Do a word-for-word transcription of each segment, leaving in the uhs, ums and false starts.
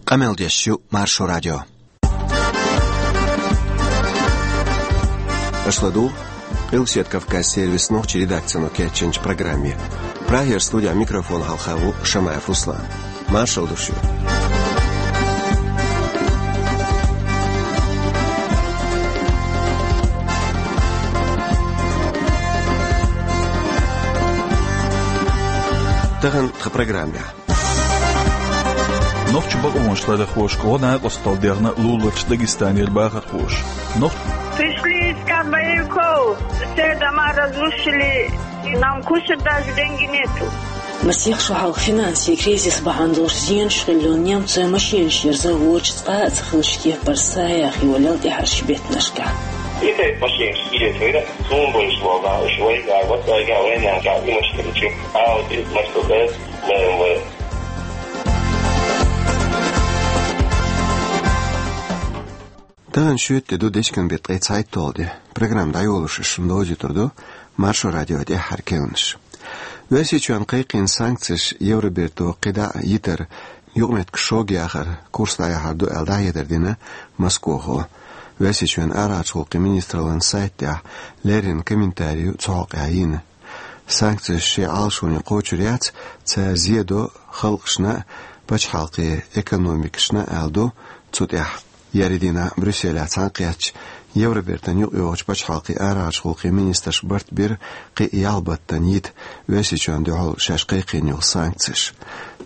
Къамел деш ю Маршо радио. Аша ладугӀу Къилбаседа Кавказан сервисан нохчийн редакцино кечйинчу программе. Прагера студин микрофона хьалха ву Шамаев Руслан. Маршалла ду шуьга. Тахана тхан программехь. Нохчийн бакъонаш ларъярхошка гӀо-накъосталла дехна луларчу Дагестанера бахархоша. Нох- Пришли искать боевиков. Все дома разрушили. Нам кушать даже деньги нету. Масех шо хьалха финансийн кризис бахьана долуш зенаш хилла йолу немцойн машенаш ерза вочу цкъа а ца хиллачу кепара саяхь йолу тӀаьхьарчу беттанашкахь. И тайпа машенаш кхета хир, суна бевзаш болу нах, уьш вайгахь, вайгахь, вайнахь, и машенаш, Audi, Mercedes, Б М В. Тахана шоьтан де ду, дечкен беттан ткъе цхьайтталгӀа де. Программа дӀайолош шуна довзуьйтур ду Маршо радион тӀаьххьара керланаш. Оьрсийчоьнна кхайкхийна санкцеш Евроберто кхидӀа а йитар, юкъаметтигаш шога яхар курс дӀаяхьар ду аьлла дӀахьедар дина Москохо. Оьрсийчоьнан арахьарчу гӀуллакхийн министраллан сайта тӀехь леррина комментари ю цу хьокъехь йина. Санкцеш шайн Ӏалашоне кхочур яц, цара зе до халкъашна а, пачхьалкхийн экономикашна а, аьлла ду цу тӀехь. Еарин дийнахь Брюсселехь цхьаьнакхеттачу Евробертан юкъайогӀучу пачхьалкхийн арахьарчу гӀуллакхийн министраш барт бира кхин а ялх баттана йита Оьрсийчоьнна дуьхьал шаьш кхайкхийна йолу санкцеш.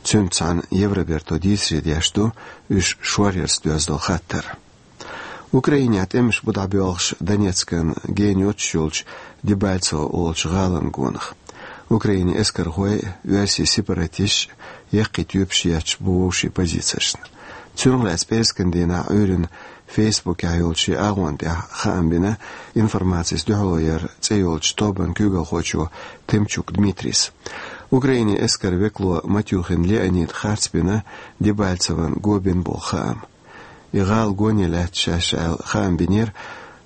Цуьнца цхьаьна Евроберто дийцаре деш ду уьш шоръярца доьзна долу хаттар. Украинехь тӀемаш бу дӀабоьлхуш Донецкан гена йоццуш йолчу Дебальцево олучу гӀалан гонах. Украинин эскархой а, оьрсийн сепаратисташ а яккхий тоьпаш етташ бу вовшийн позицешна. Цунах лаьцна пӀераскан дийнахь Ӏуьйранна Фейсбукехь йолчу шен агӀон тӀехь хаам бина «Информацис дуьхьало яр» цӀе йолчу тобанан куьйгалхочо Тымчук Дмитрийс. Украинин эскаран векало Матюхин Леонида харцбина Дебальцевон го бина боху хаам. И гӀала гоне лаьтта шаьш аьлла хаам бинера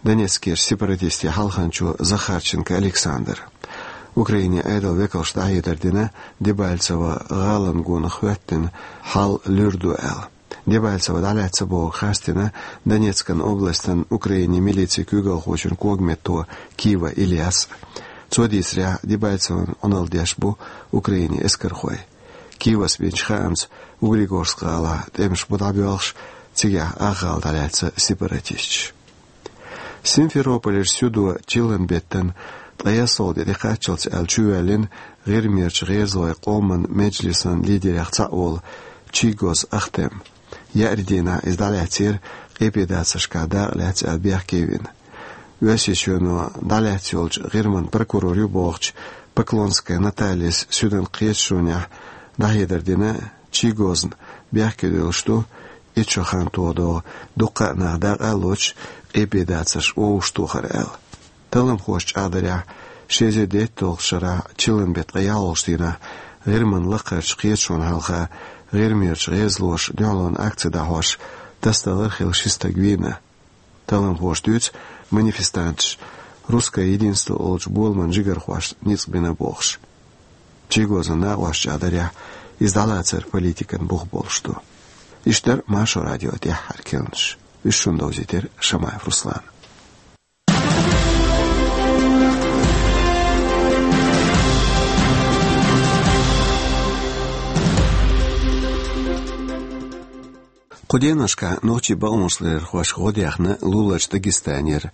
Донецкерчу сепаратистийн хьалханчо Захарченко Александра. Украинин Ӏедалан векалша дӀахьедар дина Дебальцево гӀалан гонах хӀоьттина хьал луьра ду аьлла. Дебальцево дӀалаьцна бохург харцдина Донецкан областан Украинин милицин куьйгалхочун когаметто Кива Ильяс. Цо дийцарехь, Дебальцевон Ӏуналла деш бу Украинин эскархой. Кивас бинчу хаамца, Углегорск гӀалахь тӀемаш бу дӀабоьлхуш, цигахь ах гӀала дӀалаьцна сепаратисташ. Симферополера суьдо чиллан беттан ткъе ялхалгӀа де тӀекхаччалц аьлла чувоьллина ГӀирмерчу гӀезалойн къоман меджлисан лидерех цхьаъ волу Чийгоз Ахтем. Еарин дийнахь иза дӀалаьцнера, къепедацаршкахь дакъа лаьцна аьлла бехке вина. Оьрсийчоьно дӀалаьцна йолчу ГӀирман прокурор ю бохучу Поклонская Натальяс суьдан кхеташонехь дӀахьедар дина, Чийгозна бехке девлла ду, итт шо хан тоха догӀу дуккха а нах дакъа а лоцуш, къепедацарш вовшахтохар аьлла. Талламхоша чӀагӀдарехь, ши эзар дейтталгӀачу шарахь чиллан беттан ткъе ялхалгӀачу дийнахь ГӀирман лакхарчу кхеташонна хьалха ГӀирмерчу гӀезалоша дуьхьалонан акци дӀахьош тасадалар а хилла ши стаг вийна. Талламхоша дуьйцу манифестанташа «Русское единство» олучу боламан жигархошна ницкъ бина бохуш. Чийгозан накъосташа чӀагӀдарехь, иза дӀалацар политикан бух болуш ду. Иштта дара Маршо радион тӀаьххьара керланаш. Уьш шуна довзийтира Шамаев Руслана. Кху деношкахь нохчийн бакъонашларъярхошка гӀо дехна луларчу Дагестанера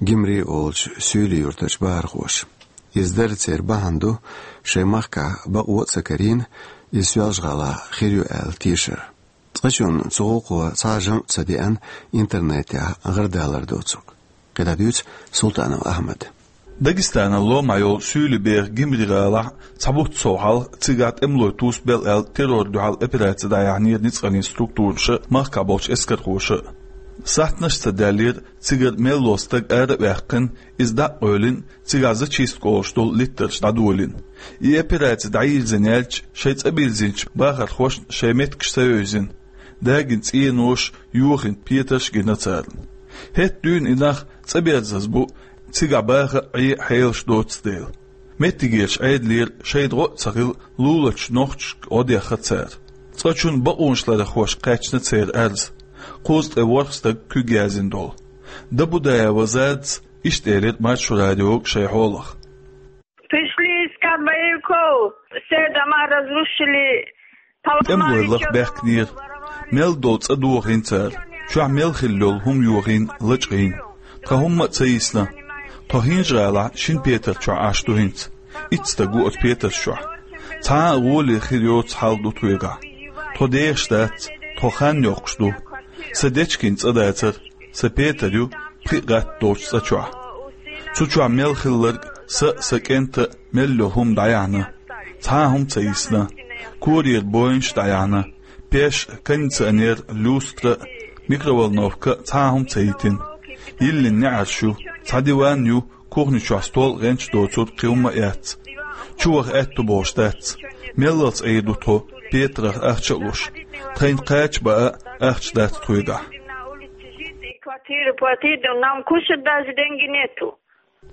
Гимри олучу суьйлийн юьртарчу бахархоша. Иза дара церан бахьана ду, шайн махкахь бакъо а ца карийна, иза Соьлжа-ГӀалахь хир ю аьлла тешар. Цкъачунна цу гӀуллакхо цхьа а жамӀ ца деана интернетехь гӀарадалар доцург. КхидӀа дуьйцу Султанов Ахьмада. Дагестанан ломахь йолу суьйлийн беха Гимри-ГӀалахь цхьа бутт сов хьалха цигахь тӀемалой тусбелла аьлла террорна дуьхьал операци дӀаяьхьнера ницкъаллин структураша а, махкахь болчу эскархоша а. Сахьтанаш а ца даьллера, цигара мел волу стаг ара а ваьккхина, иза дӀа а къевлина, цигахь зачистка олуш долу литтарш дӀадолийна. И операци дӀайирзина яьлча, шайн цӀа бирзинчу бахархошна шайн меттигаш ца евзина, дагийна цӀенош а, йохийна петарш а гина царна. ХӀетахь дуьйна и нах цӀа берзаза бу, цигахь баха а, Ӏе а хьелаш доцу дела. Меттигерчу Ӏедалера шайна гӀо а ца хилла, луларчу нохчашка гӀо дехна цара. Цкъачун бакъонашларъярхоша кхаьчна церан арз. Кхузткъеи ворхӀ стаг куьг яздина долу. Дабудаева Задас иштта элира Маршо радиога шайн хьолах. Пришли искать боевиков, все дома разрушили, поломали. ТӀемалой лаха баьхкинера. Мел долу цӀа дохийна цара, чохь мел хилла йолу хӀума йохийна, лачкъийна. Тхан хӀумма а ца йисна. Тхо ХӀинжа-ГӀалахь шина петар чохь Ӏаш ду хӀинца. Итт стаг ву оцу петарш чохь. Цхьа а гӀоле хир йоцу хьал ду тхоьгахь. Тхо дехаш дац, тхо хан йохкуш ду. Сан дечкен цӀа дацара, сан петар ю пхи а гӀатта долчу цӀа чохь. Цу чохь мел хилларг, сан а, сан кӀентан а мел йолу хӀума дӀаяьхьна. Цхьа а хӀума ца йисна. Корера бойнаш а дӀаяьхьна. Пеш а, кондиционер а, люстра а, микроволновка а, цхьа а хӀума ца йитина. Йиллина неӀарш ю, цхьа диван ю, кухни чохь стол а, гӀенч доцург, кхин хӀумма а яц. Чуваха аьтту бохуш дац. Меллалц Ӏийр ду тхо, петарах ахча а луш. Тхайна кхача баа а ахча дац тхоьгахь. Квартиру платить, нам кушать даже деньги нету.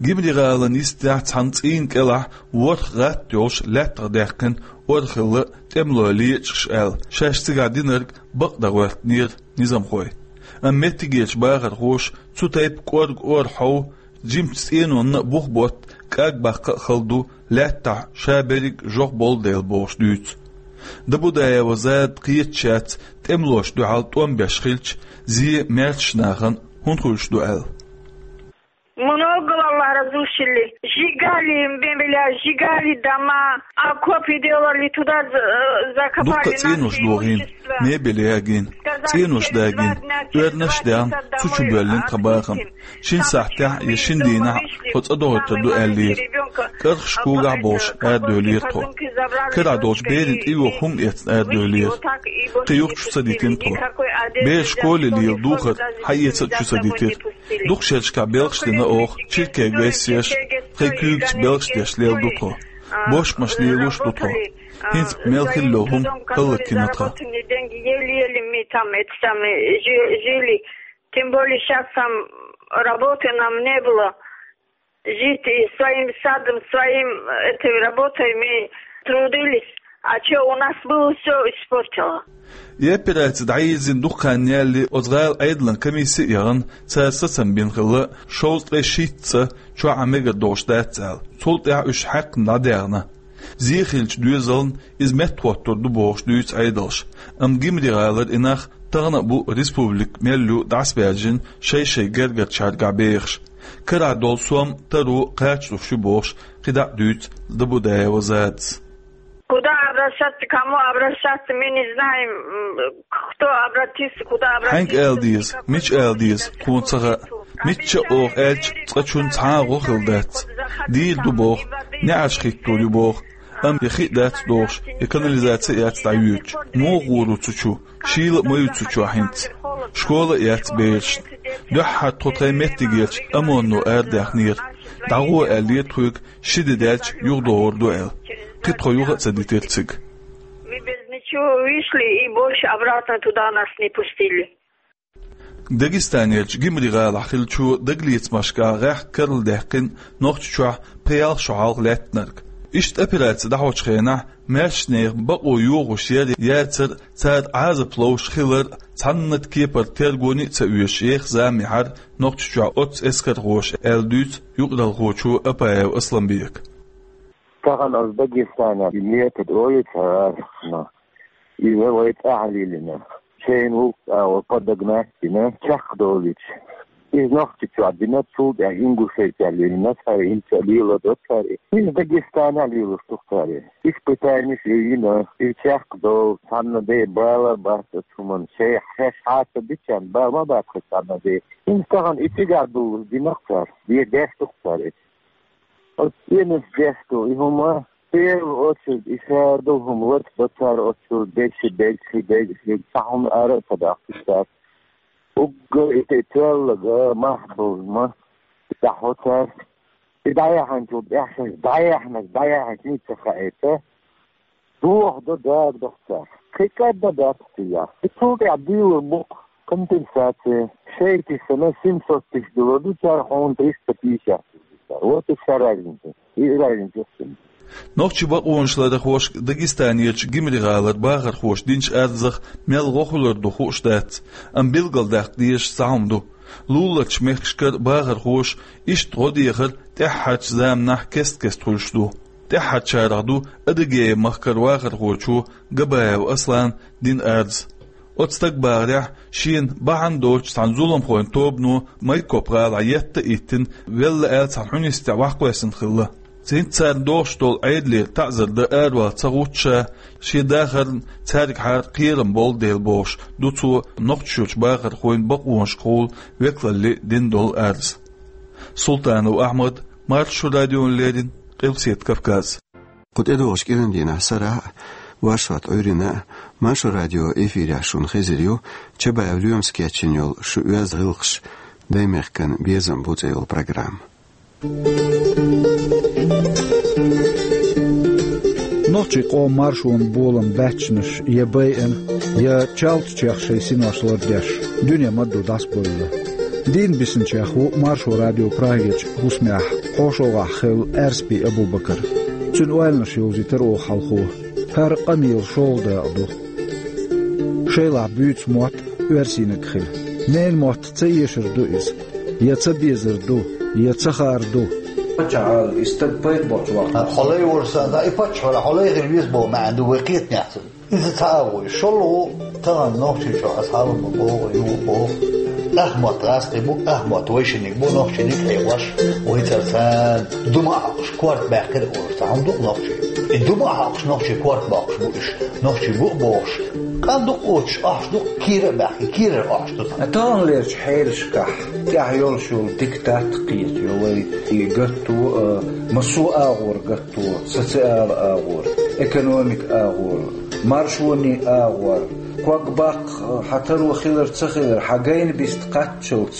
Гимри-ГӀалина йистехь цхьана цӀийнан кӀелахь ворхӀ гӀатта йолуш лаьттах даьккхина ор хилла тӀемалой лечкъаш аьлла, шаьш цигахь динарг бакъ дан гӀоьртинера низамхой. Амма меттигерчу бахархоша цу тайпа кӀорга ор хьов, жимачу цӀенонна а бух ботта, кӀаг баккха а хала ду, лаьттахь ша берриг жоп болу дела бохуш дуьйцу. Дабудаева Зада кхеташ яц, тӀемалошна дуьхьал тӀом беш хилча, зен маьршачу нахана хӀунда хуьлуш ду аьлла. Много, Аллах, разрушили. Сжигали мебеля, сжигали дома, окопы делали, туда за-, закопали наши имущества. Дуккха цӀенош дохийна, мебель ягийна, цӀенош дагийна, оьрнаш а даьхна, цу чу боьллина тхан бахам. Шина сахьтехь я шина дийнахь тхо цӀа догӀуьйтур ду аьллера. КӀархаш когахь а болуш арадевллера тхо. Карахь долчу берийн тӀеюху хӀума эцна арадевллера. Кхин юха чу ца дитина тхо. Бераш школе лела духар хьаэца а чу ца дитира. Дукха шерашкахь белхаш дина оха, чиркега весеш, тхайн куьйгаца белхаш деш лела ду тхо. Бошмаш лелош ду тхо. ХӀинца мел хилла йолу хӀума хӀаллакйина тхан. Тем более щас там работы нам не было. Жить и своим садом, своим, этой работой мы трудились. А чё, у нас было всё испортило. И операци дӀайирзина дукха хан ялале оцу гӀала Ӏедалан комисси а яхана, цара сацам бина хилла, шовзткъе шийтта цӀа чохь а мегар долуш дац аьлла. Цул тӀаьхьа уьш хьаькхна дӀадаьхна. Зен хиллачу доьзална иза меттахӀоттур ду бохуш дуьйцу Ӏедалша. Амма Гимри-ГӀалара и нах тахана а бу республика мел ю дӀасабаьржина шай-шай гергарчаьргахь бехаш. Карахь долу сом, таро кхачалуш ю бохуш, кхидӀа а дуьйцу Дабудаева Задас. Куда обращаться, кому обращаться, мы не знаем, м, кто обратился, куда обратиться. Хьаьнга ала деза, мича ала деза, тхуна ца хаьа. Мичча а оха аьлча, цкъачунна цхьа а гӀо хилла дац. Дийр ду боху, неӀарш хӀиттор ю боху. Амма я хи а дац дохуш, я канализаци а яц дӀайоьдуш. Муха гӀур ву цу чу? Шийла а ма ю цу чохь хӀинца. Школа а яц берашна. Дуьххьара тхо тхайн меттигерчу ОМОН-о арадаьхнера. ДӀагӀо аьллера тхоьга, ши де даьлча юхадогӀур ду аьлла. Кхин тхо юха а ца дитира цига. Мы без ничего вышли и больше обратно туда нас не пустили. Дагестанерчу Гимри-ГӀалахь хиллачо дагалецамашкахь гӀеххьа карладаьккхина Нохчийчохь пхи-ялх шо хьалха лаьттинарг. Иштта операци дӀахьочу хенахь маьршачу нехан бакъо йохош яр а, яцар а, цара Ӏазап ловш хилар а цхьанна а кепара тергоне а ца оьшуш, еха зама яьхьира Нохчийчохь оццу эскархоша аьлла дуьйцу юкъаралхочо Апаев Асламбека. Тахана ас Дагестанехь и метод ойла ца гӀерташ, иза вай цӀахь лелийна. Шайна ву, а, подогнать дина, чекхдолуьйтуш. Иза Нохчийчохь дина, цул тӀаьхьа Ингушетехь лелийна цара, хӀинца а леладо цара. Иза Дагестанехь лелош ду-кх цара. Испытанеш а йина, иза чекхдолу, цхьанна де бала бац оцу хӀуманна. Шайх шаьш хьаста дича бала ма бац-кх цхьанна де. ХӀинца тахана и цигахь долуш дина-кх цара, де деш ду-кх цара иза. Оцу цӀенош деш ду и хӀума, первую очередь, и шадолу хӀума лаца до цара оцу деши, дегси, дегси, цхьа хӀума ара а ца даккхуш цара. Уггар и тӀе тоьлларг мах болу ма дӀахьо цара. И дӀаяьхьначул тӀаьхьа шаьш дӀаяьхьнарг дӀаяьхьначу ницкъ ца хаийта, дохадо, дагадо-кх цара. Кхин кӀадда дац-кх цигахь. И цул тӀаьхьа дуьйлур бу-кх компенсация. Шайти санна семьсот тысяч дуьллур ду цара, хьуна триста пятьдесят тысяч ду цара. Вот и вся разница. И разница в чём. Нохчийн бакъонаш ларъярхошка Дагестанерчу Гимри-гӀалара бахархоша динчу арзах мел гӀо хилар ду хууш дац, амма билгалдаккха дезаш цхьа хӀума ду. Луларчу мехкашкара бахархоша иштта гӀо дехар тӀаьххьарчу заманахь кест-кеста хуьлуш ду. ТӀаьххьарчарах ду Адыгея-махкара вахархочо Габаев Аслана дина арз. Оцу стага бахарехь, шена бахьана доцуш цхьана зуламхойн тобано Майкоп-гӀалахь етта а йиттина, велла аьлла цхьана хьуьнистехь ваха кхоьссина хилла. ХӀинца царна догӀуш долу Ӏедалера таӀзар дан аравала ца гӀутту ша, шен дахарна цаьргахьара кхерам болу дела бохуш ду цо нохчашчу бахархойн бакъонашкахула векалалле дина долу арз. Султанов Ахьмад, Маршо радиона леррина, Къилбаседа Кавказ. Кху тӀедогӀучу кӀиран дийнахь сарахь а, оршот Ӏуьйранна а Маршо радион эфирехь шуна хезар ю Чабаев Лоьмас кечйина йолу «Шу оьзда гӀиллакхаш, даймехкан безам бу» цӀе йолу программа. Нохчийн къоман маршонан болам баьччанаш я байъина, я чалтачех шайн синош лардеш дуьне ма-дду дӀасабевлла. Дийна бисинчех ву Маршо радион Прагерчу хӀусамехь хьошалгӀахь хилла Аьрсби Абубакар. Цуьнан ойланаш йовзийтира оха хьалхо. ХӀара къамелан шолгӀа дакъа ду. Шайлахь буьйцу мотт оьрсийниг хила. Ненан мотт ца эшар ду иза, я ца безар ду, я ца хаар ду. Паччахьалла и стаг пайда боцу вахана. Хьо лай волуш санна, и паччахьалла хьо лай хила веза боху маьӀна ду вай кхетамехь цуьнан. Иза цхьа а вуй. ШолгӀа, тахана нохчийн чохь аса хьалха ма боху, ю боху. Ахмотт гӀазкхи бу, Ахмотт вайшинниг бу, нохчийниг хьекъош, вай цара царна дума а хьокхуш, корта баьккхира олуш, цхьа хӀума ду-кх нохчийн. И дума а хьокхуш, нохчийн корта боккхуш бу уьш, нохчий бу а бохуш. Къан ду-кх оцуш, охьуш ду-кх, кийра а баьхки, кийрара охьуш ду. Таханлерчу хьелашкахь тӀехь йолуш йолу дика дац кхета, йо вай и гатто, а, массо а агӀор гатто, социал агӀор, экономика агӀор, маршонийн агӀор, ког баккха, хьан таро хилар ца хилар, хьан гайна биста кхаччалц,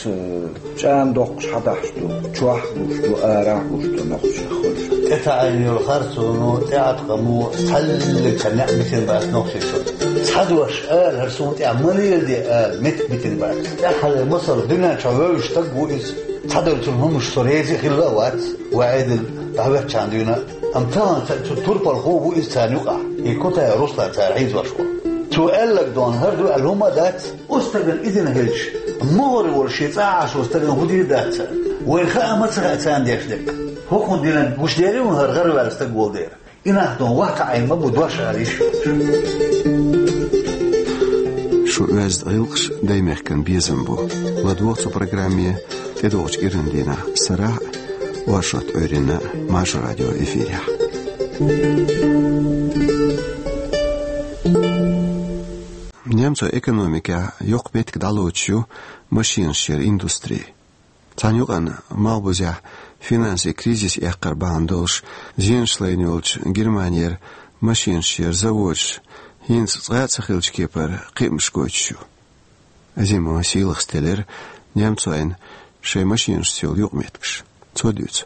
чӀагӀдоккхуш хьадахьаш ду, чохь а гуш ду, арахь а гуш ду нохчех хуьлуш. ТӀетаӀийна йолу харцоно, тӀеӀаткъамо, цхьаллиг цхьа некъ битина бац нохчийн чу. Цхьа дош ала, хӀара суна тӀехь ма леладе ала, меттиг битина бац. ТӀаьххьара масал, дуьнен чохь вевзаш стаг ву иза. Цхьадолу цуьнан хӀуманаш со реза а хилла а вац, вай Ӏедал дӀахӀоьттичхьана дуьйна а. Амма тахана цхьа цу турпалхо ву иза царна юкъахь, и Кутаев Руслан цара хьийзош волу. Цо аьлларг дона хӀара ду аьлла хӀумма а дац. Оцу стагана и дина хилча, могӀаре волу шен цӀа Ӏаш волу стагана хӀун дийр дац цара? Вайна хаа ма ца хаьа царна деш дерг. ХӀокхунна динан гуш дерриг а хӀара гӀараваьлла стаг волу дера. И нах дон ваха Ӏийна ма бу дош ала йиш йоцуш. Шу оьзда гӀиллакхаш, даймехкан безам бу. ЛадогӀа цу программе тӀедогӀучу кӀиран дийнахь сарахь а, оршот Ӏуьйранна а Маршо радион эфирехь. Немцойн экономикехь йоккха меттиг дӀалоцуш ю машенаш яран индустри. Цхьана юкъанна малхбузехь финансийн кризис эккхар бахьана долуш зенаш лайна йолчу Германера машенаш яран заводаш хӀинца цкъа а ца хиллачу кепара кхиамаш гойтуш ю. Азимова Сийлахас теллира немцойн шайн машенашца йолу юкъаметтигаш. Цо дуьйцу.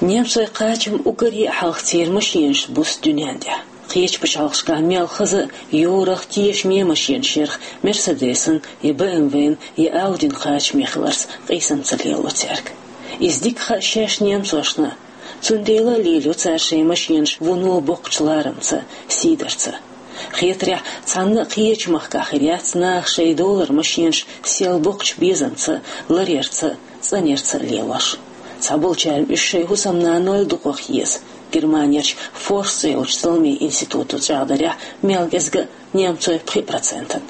Немцойн кхачам уггаре а хьалхацера машенаш буьсу дуьнен тӀехь. Кхечу пачхьалкхашкахь мел хаза а йорах, тешаме машенаш ярах Мерседесан, я БМВ-н, я Аудин кхачаме хиларца къийсам ца лело цаьрга. Иза дика хаьа шаьш немцошна. Цундела а лелайо цара шайн машенаш вуно боккхачу ларамца, сийдарца. Хетарехь, цхьанна а кхечу махкахь хир яц наха шайн долара машенаш сел боккхачу безамца, ларъярца, цӀанъярца лелош. Цхьаболчарна уьш шайн хӀусамнанойла дукхах еза. Германерчу Форст цӀе йолчу зуламийн институто чӀагӀдарехь, мел кӀезга а немцойн пхи процентан.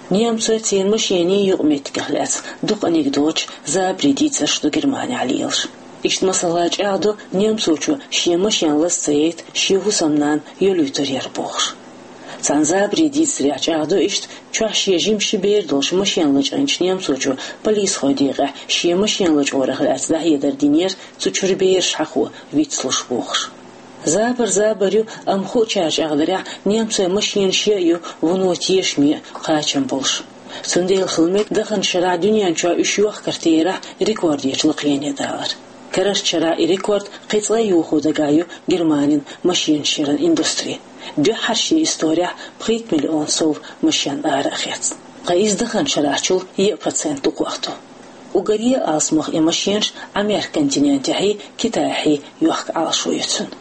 Немцойн церан машенийн юкъаметтигах лаьцна дукха анекдоташ, забарийн дийцарш ду Германехь лелаш. Иштта масала чӀагӀдо немцочо шен машен лаза ца яйта, шен хӀусамнана йолуьйтур яра бохуш. Цхьана забарийн дийцарехь чӀагӀдо иштта, чохь шен жима ши бер долуш машен лачкъийначу немцочо полисхойн декъехь шен машен лачкъорах лаьцна дӀахьедар динера цу чуьра бераш хьахо вицлуш бохуш. Забар забар ю, амма хуучара чӀагӀдарехь, немцойн машенаш я а ю вуно тешаме а, кхачам болуш. Цундела хила мега даханчу шарахь дуьнен чохь уьш йохкар терахь рекордерчу лакхене далар. Карарчу шарахь и рекорд кхин цкъа а йохо дагахь ю Германин машенаш яран индустри. Дуьххьара шен исторехь пхийтта миллион сов машен ара а хецна. Ткъа иза даханчу шарахьчул еа процент дукхах ду. Уггаре а алсамох и машенаш Ӏамеркан континентехьий, Китайхьий йохка Ӏалашо ю цуьнан.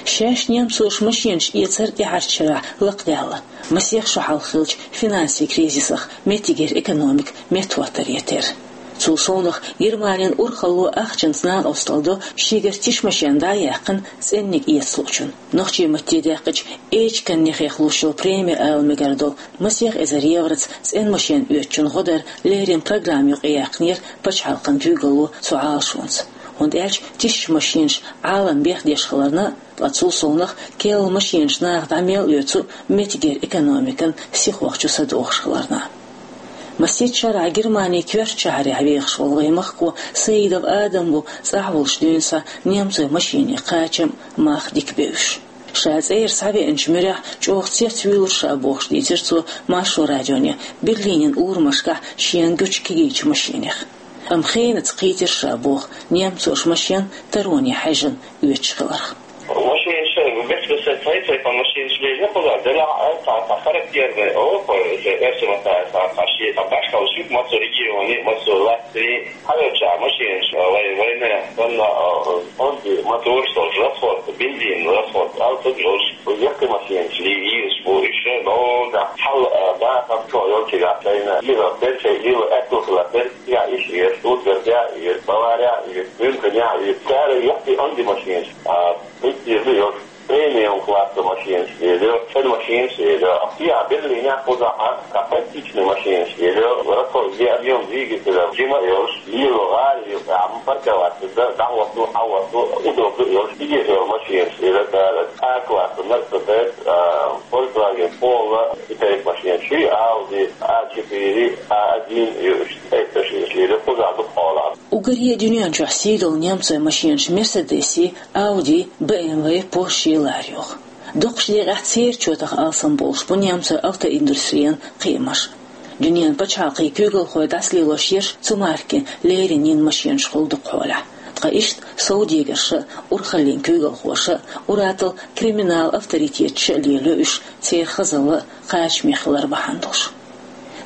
Шаьш немцоша машенаш эцар тӀаьхьарчу шарахь лакхадаьлла, масех шо хьалха хиллачу финансийн кризисах меттигера экономика меттахӀоттаре терра. Цул совнах Германин урхалло ахчанца накъосталла до шегара тиша машен дӀа а яьккхина цӀенниг эца луучунна. Нохчийн матте даьккхича эчиган нехех луш йолу преми ала мегар долу масех эзар евроца цӀена машен оьцучун гӀо дар леррина программа юкъа яьккхинера пачхьалкхан куьйгалло цу Ӏалашонца. ХӀунда аьлча тиша машенаш Ӏалам бехдеш хиларна, ткъа цул совнах керла машенаш наха дӀа мел оьцу меттигера экономикан сихох чу са дохуш хиларна. Масех шарахь Германин коьртачу шахьарехь вехаш волу вайн махкахо Саидов Адам ву цӀахь волуш дуьйна схьа немцойн машенийн кхачам, мах дика бевзаш. Ша цӀера схьавеанчу муьрехь чӀогӀа цецвуьйлура ша бохуш дийцира цо Маршо радионе Берлинан урамашкахь шена гучу кегийчу машенех. Амма хенаца кхийтира ша боху немцоша машен тароне хьаьжжина оьцуш хиларх. Машинаш, бехке сан цай-цай пан машинаш лелира кхузахь, делахь а цхьа, цхьа характерный, о, кхо, эсэ, эсэ ма цхьа, цхьа, цхьа шен, цхьа башхалла шуьга, массо регионе, массо латте, хьалоча машинаш, а, вай, вайна, санна, а, онди, мотор, сол, расход, бензин, расход, алсуд йолуш, яккхий машинаш, ли, ийраш бу, иша, но, да, хьал, а, да, хам, чо, йолчигахь, шайна, ира, бер, шай, ира, этту, хила, бер, я, иш, ир, тут, бер, я, ир, Бавария, ир, Мюнхен, я, ир, цара, яккхий онди машинаш, а, Хистийр ду йолуш, премиум класса машинаш лелайо, шен машинаш лелайо. Кхин а Берлинехь кхузахь а, кхин а практичный машинаш лелайо. Расход, объём двигателя жима а йолуш, лело гӀала юкъа, амма парковаться дан, дӀахӀотто, хьахӀотто, удобно йолуш, дигира йолу машинаш лелайо цара. А класса Mercedes, а, Volkswagen Polo, и тайпа машинаш, и Audi А четыре, А один, и уьш, и тайпа машинаш лелайо, кхузахь ду кхолахь. Уггаре а дуьнен чохь сий долу немцойн машинаш Mercedes-и, Audi, B M W, Porsche ларйо. Дукхачу декъехь церан чотах алсам болуш бу немцойн автоиндустрин кхиамаш. Дуьненан пачхьалкхийн куьйгалхой дӀасалелош ерш цу маркин леррина йина машинаш хуьлу дукхахьолехь. Ткъа иштта совдегарша а, урхаллин куьйгалхоша а, ур-аттал криминал авторитеташа а лелайо уьш церан хазалла а, кхачаме хилар бахьана долуш.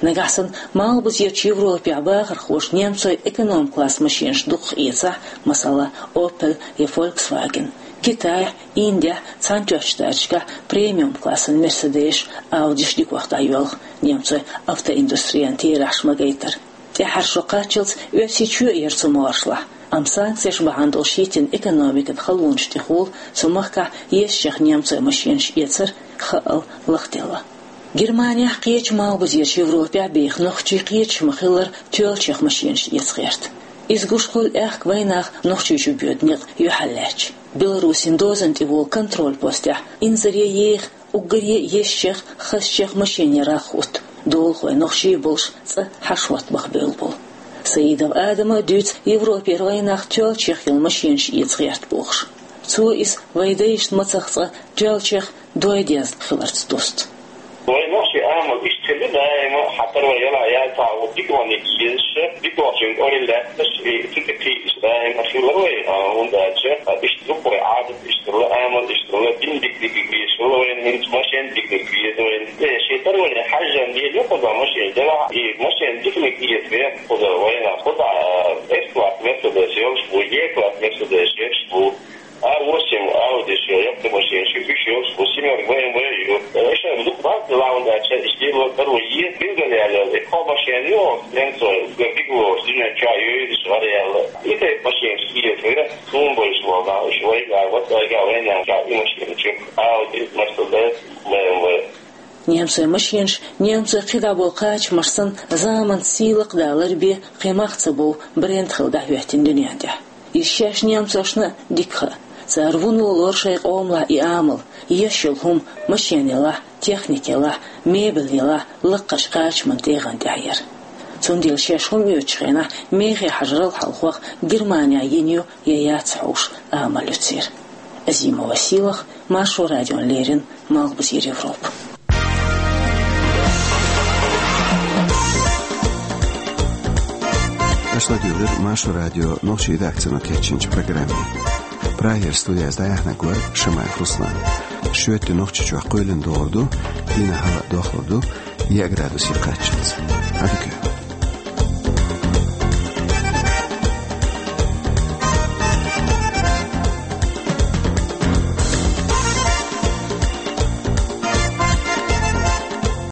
Нагахь санна малхбузерчу Европехь бахархоша немцойн эконом-класс машинаш дукхах эцахь, масала, Opel я Volkswagen, Китайхь, Индехь, Цхьаьнатоьхначу Штаташкахь премиум-классан Mercedes-аш, Audi-ш дикох дӀайоьлху немцойн автоиндустрин терахьаш ма-гайтара. ТӀаьххьара шо кхаччалц Оьрсийчоь а яра цу могӀаршлахь, амма санкцеш бахьана долуш йиттина экономикан халонаш тӀехула цу махкахь ешшех немцойн машинаш эцар хаъал лахделла. Германехь кхечу малхбузерчу Европехь беха нохчий кхеташ ма-хиллара тоьллачех машинаш эца гӀерта. Иза гуш хуьлу аьхка вайнах Нохчийчу боьду некъ юьхьарлаьцча. Беларусин дозан тӀе волу контроль-постехь инзаре еха уггаре а ешшех, хазачех машинех рагӀ хӀутту, долахой нохчий болуш цӀа хьашт-хӀотта баха бевлла болу. Саидов Адама а дуьйцу Европера вайнах тоьллачех йолу машинаш эца гӀерта бохуш. Цо иза вайн дайшна мацах цкъа тоьллачех дой дезна хиларца дусту. Вайн нохчийн амал иштта хилла даима, хьан тара вай яла яцахь, ву дика ван езаш, дика вахчун кӀорил лаьтташ, и цу тӀе кхийдаш даима хилла вай, а, хӀунда аьлча, а, иштта дукха вай Ӏадат иштта хилла, амал иштта хилла, дин дика-дика везаш хилла вайна, хӀинца машен дика-дика веза вайна. Э, шен тара вайна хьаьжжан дела ю кхуза машен, делахь и машен диканиг эца веха кхуза вайна, кхуза, а, С-класс Мерседес йолуш бу, Е-класс Мерседес йолуш бу. А восемь Audi-ш ю, яккхий машинаш ю, уьш йолуш бу, семёрка Б М В ю. Эшар дукха бац, лаунда аьлча, иштта ло каро е, билгал яьлла, и кхо машен ю, немцой, уггар дика лоруш, дуьнен чохь йойдуш, вара яьлла. И тайпа машинаш кхета вай, суна бойуш волу нах, уьш вайга, ват вайга, вайна чохь и машинаш ю, Audi, Mercedes, Б М В. Немцойн машинаш, немцойн кхидӀа болу кхачамаш санна, заманца сий лакхадалар бен кхин мах ца бов бренд хилла дӀахӀоьттина дуьнен тӀехь. Иза шаьш немцошна а дика хаьа. Цара вуно лору шайн къомалахь и амал, еш йолу хӀума, машен елахь, техника елахь, мебель елахь, лакхарчу кхачаман тӀегӀан тӀехь яр. Цундела шаьш хӀума оьцучу хенахь мехе хьажарал хьалхох Германехь йина ю я яц хьовш амал ю церан. Азимова Сийлаха, Маршо радиона леррина, Малхбузера Европа. Аша ладуьйгӀира Маршо радион нохчийн редакцино кечйинчу программе. Прагера студехь дӀаяьхьнарг вара Шамаев Руслан. Шоьтан Нохчийчохь кхоьлина догӀур ду, дийнахь хӀаваъ дохлур ду, еа градусе кхаччалц. Ӏадика.